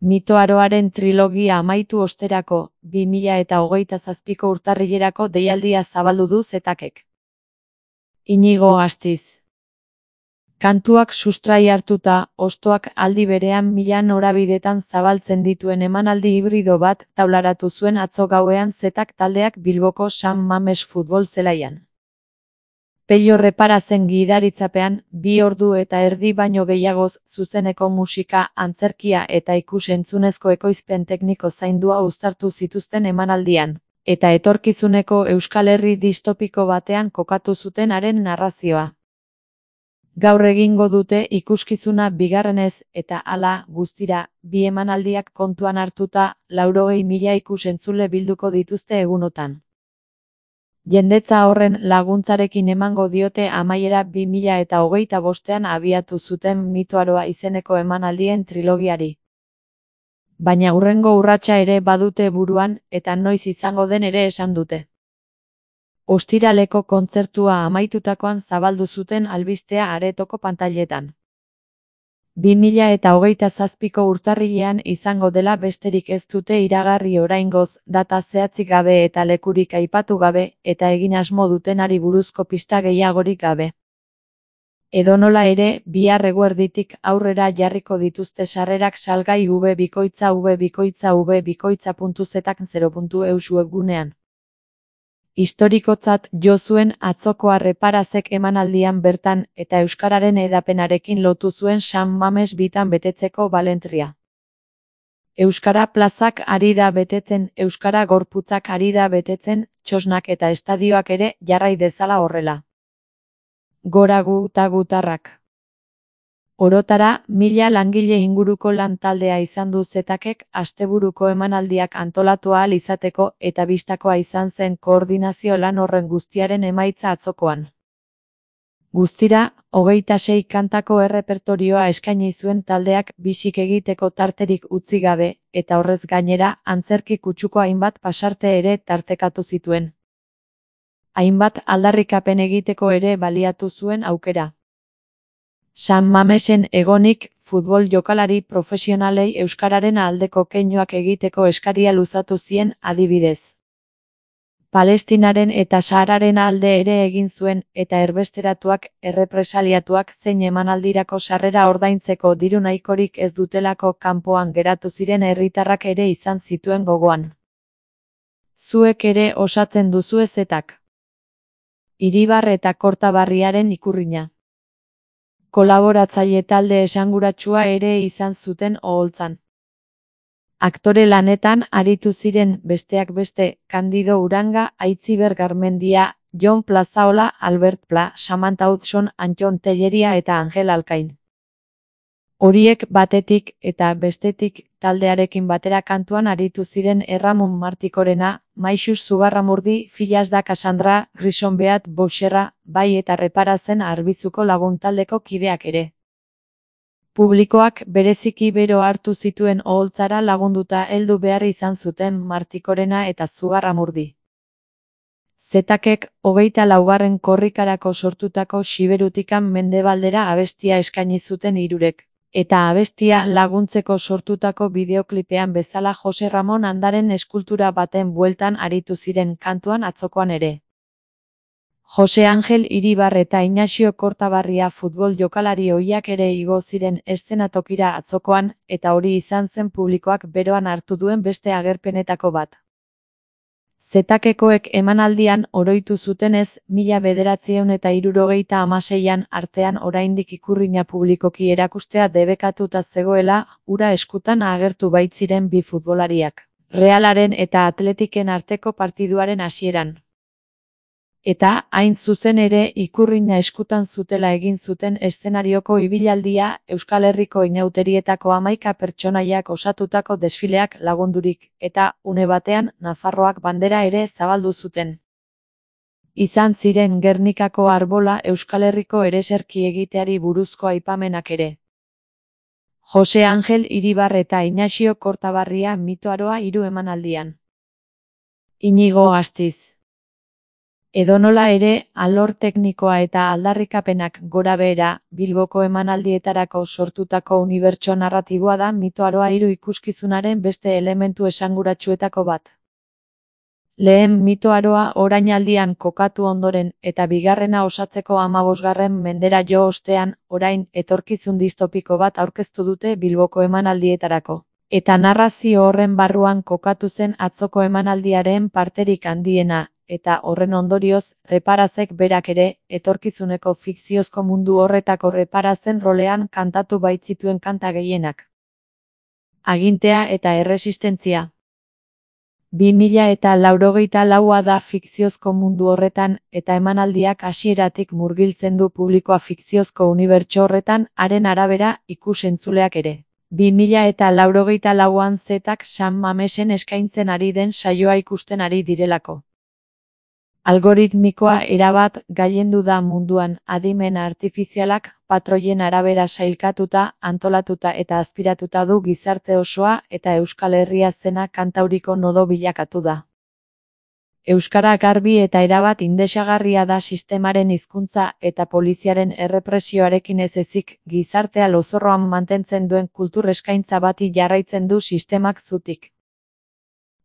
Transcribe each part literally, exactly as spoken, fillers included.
Mitoaroaren trilogia amaitu osterako, bi mila eta hogeita zazpiko urtarrilerako deialdia zabaldu du Zetakek. Inigo Astiz. Kantuak sustrai hartuta, hostoak aldi berean mila norabidetan zabaltzen dituen emanaldi hibrido bat taularatu zuen atzo gauean Zetak taldeak Bilboko San Mames futbol zelaian. Pello Reparazen gidaritzapean, bi ordu eta erdi baino gehiagoz zuzeneko musika, antzerkia eta ikus-entzunezko ekoizpen tekniko zaindua uztartu zituzten emanaldian, eta etorkizuneko Euskal Herri distopiko batean kokatu zuten haren narrazioa. Gaur egingo dute ikuskizuna bigarrenez eta hala, guztira, bi emanaldiak kontuan hartuta, laurogei mila ikus-entzule bilduko dituzte egunotan. Jendetza horren laguntzarekin emango diote amaiera bi mila eta hogeita bostean abiatu zuten Mitoaroa izeneko emanaldien trilogiari. Baina hurrengo urratsa ere badute buruan, eta noiz izango den ere esan dute. Ostiraleko kontzertua amaitutakoan zabaldu zuten albistea aretoko pantailetan. bi mila eta hogeita zazpiko urtarrilean izango dela besterik ez dute iragarri oraingoz, data zehatzik gabe eta lekurik aipatu gabe, eta egin asmo dutenari buruzko pista gehiagorik gabe. Edonola ere, bihar eguerditik aurrera jarriko dituzte sarrerak salgai v bikoitza v bikoitza v bikoitza puntu zetak zero puntu eus webgunean. Historikotzat jo zuen atzokoa Reparazek emanaldian bertan eta euskararen hedapenarekin lotu zuen San Mames bitan betetzeko balentria. Euskara plazak ari da betetzen, euskara gorputzak ari da betetzen, txosnak eta estadioak ere jarrai dezala horrela. Gora gu eta gutarrak. Orotara, mila langile inguruko lan taldea izan du Zetakek asteburuko emanaldiak antolatu ahal izateko eta bistakoa izan zen koordinazio lan horren guztiaren emaitza atzokoan. Guztira, hogeita sei kantako errepertorioa eskaini zuen taldeak bisik egiteko tarterik utzi gabe, eta horrez gainera, antzerki kutsuko hainbat pasarte ere tartekatu zituen. Hainbat aldarrikapen egiteko ere baliatu zuen aukera. San Mamesen egonik, futbol jokalari profesionalei euskararen aldeko keinuak egiteko eskaria luzatu zien adibidez. Palestinaren eta Sahararen alde ere egin zuen, eta erbesteratuak, errepresaliatuak zein emanaldirako sarrera ordaintzeko diru nahikorik ez dutelako kanpoan geratu ziren herritarrak ere izan zituen gogoan. Zuek ere osatzen duzue Zetak. Iribar eta Kortabarriaren ikurrina. Kolaboratzaile talde esanguratsua ere izan zuten oholtzan. Aktore lanetan aritu ziren besteak beste Candido Uranga, Aitziber Garmendia, Jon Plazaola, Albert Pla, Samantha Hudson, Antton Telleria eta Angel Alkain. Horiek batetik eta bestetik taldearekin batera kantuan aritu ziren Erramun Martikorena, Maixus Zugarramurdi, Filas da Cassandra, Grison Beat Boucherra, bai eta Reparazen Arbizuko laguntaldeko kideak ere. Publikoak bereziki bero hartu zituen oholtzara lagunduta heldu behar izan zuten Martikorena eta Zugarramurdi. Zetakek hogeita laugarren korrikarako sortutako Xiberutikan mendebaldera abestia eskaini zuten hirurek. Eta abestia laguntzeko sortutako bideoklipean bezala Jose Ramon Andaren eskultura baten bueltan aritu ziren kantuan atzokoan ere. Jose Angel Iribar eta Inaxio Kortabarria futbol jokalari ohiak ere igo ziren eszenatokira atzokoan, eta hori izan zen publikoak beroan hartu duen beste agerpenetako bat. Zetakekoek emanaldian oroitu zutenez, mila bederatziehun eta hirurogeita hamaseian artean oraindik ikurrina publikoki erakustea debekatuta zegoela, hura eskutan agertu baitziren bi futbolariak, Realaren eta Atletiken arteko partiduaren hasieran. Eta, hain zuzen ere, ikurrina eskutan zutela egin zuten eszenarioko ibilaldia, Euskal Herriko inauterietako hamaika pertsonaiak osatutako desfileak lagundurik, eta, une batean, Nafarroak bandera ere zabaldu zuten. Izan ziren Gernikako arbola Euskal Herriko ereserki egiteari buruzko aipamenak ere. Jose Angel Iribar eta Inaxio Kortabarria Mitoaroa hiru emanaldian. Inigo Astiz. Edonola ere, alor teknikoa eta aldarrikapenak gorabehera, Bilboko emanaldietarako sortutako unibertso narratiboa da Mito Aroa hiru ikuskizunaren beste elementu esanguratsuetako bat. Lehen Mito Aroa orainaldian kokatu ondoren eta bigarrena osatzeko hamabosgarren mendera jo ostean, orain etorkizun distopiko bat aurkeztu dute Bilboko emanaldietarako. Eta narrazio horren barruan kokatu zen atzoko emanaldiaren parterik handiena, eta horren ondorioz, Reparazek berak ere, etorkizuneko fikziozko mundu horretako Reparazen rolean kantatu baitzituen kanta gehienak. Agintea eta erresistentzia. bi mila eta laurogeita laua da fikziozko mundu horretan, eta emanaldiak hasieratik murgiltzen du publikoa fikziozko unibertso horretan, haren arabera, ikus-entzuleak ere. bi mila eta laurogeita lauan zetak San Mamesen eskaintzen ari den saioa ikusten ari direlako. Algoritmikoa erabat gailendu da munduan, adimen artifizialak patroien arabera sailkatuta, antolatuta eta azpiratuta du gizarte osoa eta Euskal Herria zena kantauriko nodo bilakatu da. Euskara garbi eta erabat indesagarria da sistemaren hizkuntza eta poliziaren errepresioarekin ez ezik, gizartea lozorroan mantentzen duen kultur eskaintza bati jarraitzen du sistemak zutik.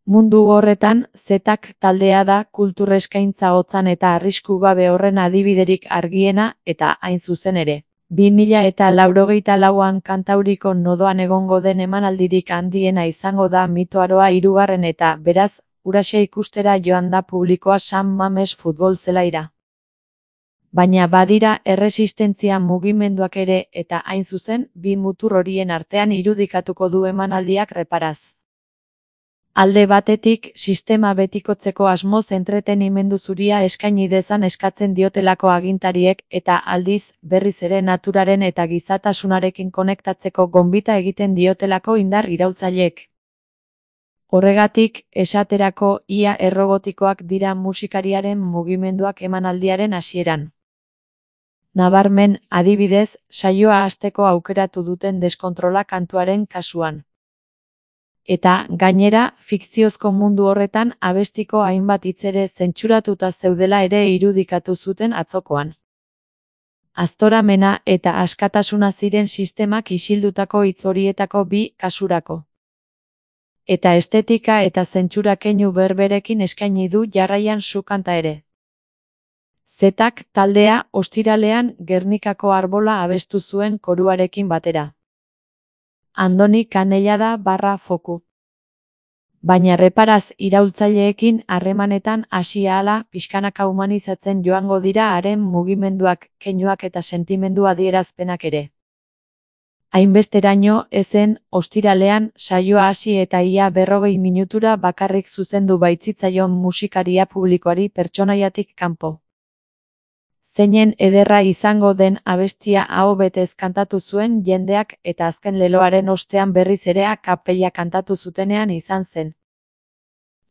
Mundu horretan, zetak taldea da kultur eskaintza hotzan eta arrisku gabe horren adibiderik argiena eta hain zuzen ere. bi mila eta laurogeita lauan kantauriko nodoan egongo den emanaldirik handiena izango da Mito Aroa hirugarren eta, beraz, huraxe ikustera joan da publikoa San Mames futbol zelaira. Baina badira erresistentzia mugimenduak ere eta hain zuzen, bi mutur horien artean irudikatuko du emanaldiak Reparaz. Alde batetik, sistema betikotzeko asmoz entretenimendu zuria eskaini dezan eskatzen diotelako agintariek eta aldiz, berriz ere naturaren eta gizatasunarekin konektatzeko gonbita egiten diotelako indar iraultzaileek. Horregatik, esaterako, ia errobotikoak dira musikariaren mugimenduak emanaldiaren hasieran. Nabarmen, adibidez, saioa hasteko aukeratu duten deskontrola kantuaren kasuan. Eta, gainera, fikziozko mundu horretan abestiko hainbat hitz ere zentsuratuta zeudela ere irudikatu zuten atzokoan. Aztoramena eta askatasuna ziren sistemak isildutako hitz horietako bi kasurako. Eta estetika eta zentsura keinu berberekin eskaini du jarraian su kanta ere. Zetak taldea ostiralean Gernikako Arbola abestu zuen koruarekin batera. Andoni Kanellada barra foku. Baina Reparaz iraultzaileekin harremanetan hasi ahala pixkanaka humanizatzen joango dira haren mugimenduak, keinuak eta sentimendu adierazpenak ere. Hainbesteraino ezen, ostiralean, saioa hasi eta ia berrogei minutura bakarrik zuzendu baitzitzaion musikaria publikoari pertsonaiatik kanpo. Zeinen ederra izango den abestia aho betez kantatu zuen jendeak eta azken leloaren ostean berriz ere a capella kantatu zutenean izan zen.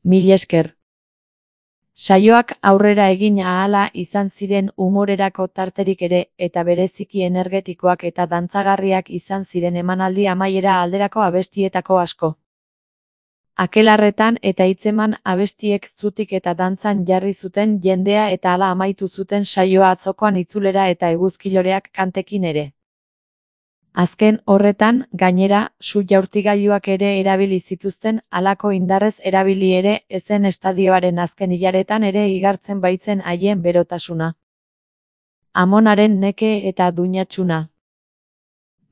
Mil esker. Saioak aurrera egin ahala izan ziren humorerako tarterik ere eta bereziki energetikoak eta dantzagarriak izan ziren emanaldi amaiera alderako abestietako asko. Akelarretan eta hitzeman abestiek zutik eta dantzan jarri zuten jendea eta hala amaitu zuten saioa atzokoan itzulera eta eguzkiloreak kantekin ere. Azken horretan, gainera, su jaurtigailuak ere erabili zituzten, halako indarrez erabili ere ezen estadioaren azken hilaretan ere igartzen baitzen haien berotasuna. Amonaren neke eta duinatxuna.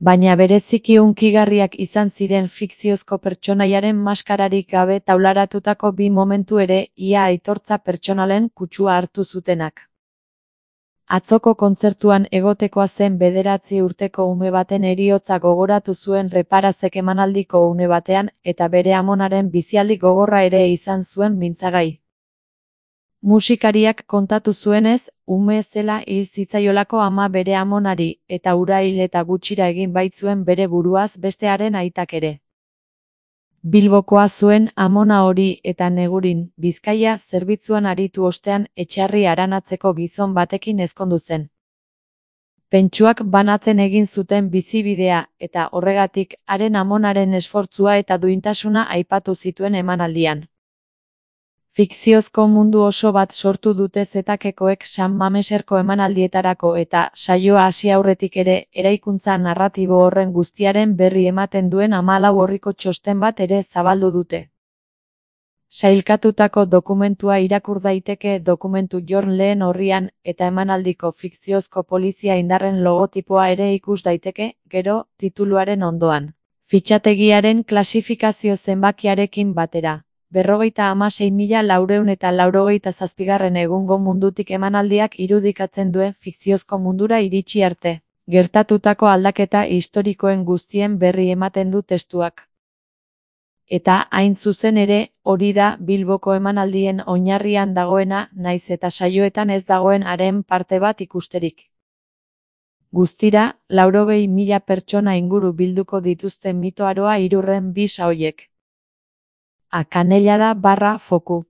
Baina bereziki hunkigarriak izan ziren fikziozko pertsonaiaren maskararik gabe taularatutako bi momentu ere ia aitortza pertsonalen kutsua hartu zutenak. Atzoko kontzertuan egotekoa zen bederatzi urteko ume baten heriotza gogoratu zuen Reparazek emanaldiko une batean eta bere amonaren bizialdi gogorra ere izan zuen mintzagai. Musikariak kontatu zuenez, ume zela hil zitzaiolako ama bere amonari eta hura hil eta gutxira egin baitzuen bere buruaz bestearen aitak ere. Bilbokoa zuen amona hori eta Negurin, Bizkaia zerbitzuan aritu ostean etxarri aranatzeko gizon batekin ezkondu zen. Pentsuak banatzen egin zuten bizibidea eta horregatik haren amonaren esfortzua eta duintasuna aipatu zituen emanaldian. Fikziozko mundu oso bat sortu dute zetakekoek San Mameserko emanaldietarako eta, saioa hasi aurretik ere, eraikuntza narratibo horren guztiaren berri ematen duen hamalau orriko txosten bat ere zabaldu dute. Sailkatutako dokumentua irakur daiteke dokumentu jorn lehen orrian eta emanaldiko fikziozko polizia indarren logotipoa ere ikus daiteke, gero, tituluaren ondoan. Fitxategiaren klasifikazio zenbakiarekin batera. Berrogeita hamasei mila laurehun eta laurogeita zazpigarren egungo mundutik emanaldiak irudikatzen duen fikziozko mundura iritsi arte. Gertatutako aldaketa historikoen guztien berri ematen du testuak. Eta, hain zuzen ere, hori da Bilboko emanaldien oinarrian dagoena, naiz eta saioetan ez dagoen haren parte bat ikusterik. Guztira, laurogei mila pertsona inguru bilduko dituzten mitoaroa hirurren bi saoiek. A Kanellada barra foku.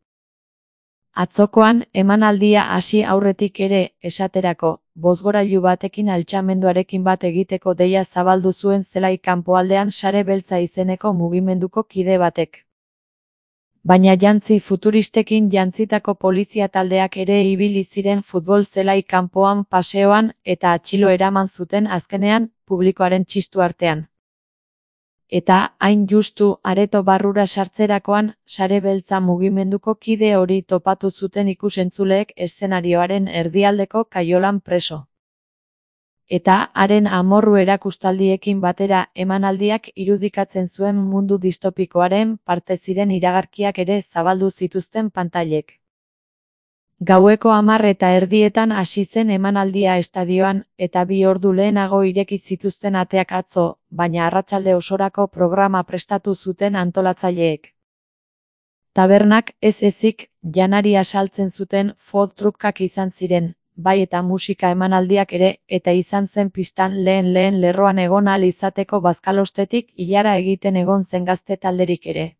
Atzokoan, emanaldia hasi aurretik ere, esaterako, bozgorailu batekin altxamenduarekin bat egiteko deia zabaldu zuen zelai kanpoaldean Sare Beltza izeneko mugimenduko kide batek. Baina jantzi futuristekin jantzitako polizia taldeak ere ibili ziren futbol zelai kanpoan paseoan eta atxilo eraman zuten azkenean, publikoaren txistu artean. Eta, hain justu, areto barrura sartzerakoan, Sare Beltza mugimenduko kide hori topatu zuten ikusentzuleek eszenarioaren erdialdeko kaiolan preso. Eta, haren amorru erakustaldiekin batera emanaldiak irudikatzen zuen mundu distopikoaren parte ziren iragarkiak ere zabaldu zituzten pantailek. Gaueko hamar eta erdietan hasi zen emanaldia estadioan, eta bi ordu lehenago ireki zituzten ateak atzo, baina arratsalde osorako programa prestatu zuten antolatzaileek. Tabernak, ez ezik, janaria saltzen zuten food truckak izan ziren, bai eta musika emanaldiak ere, eta izan zen pistan lehen lehen lerroan egon ahal izateko bazkalostetik ilara egiten egon zen gazte talderik ere.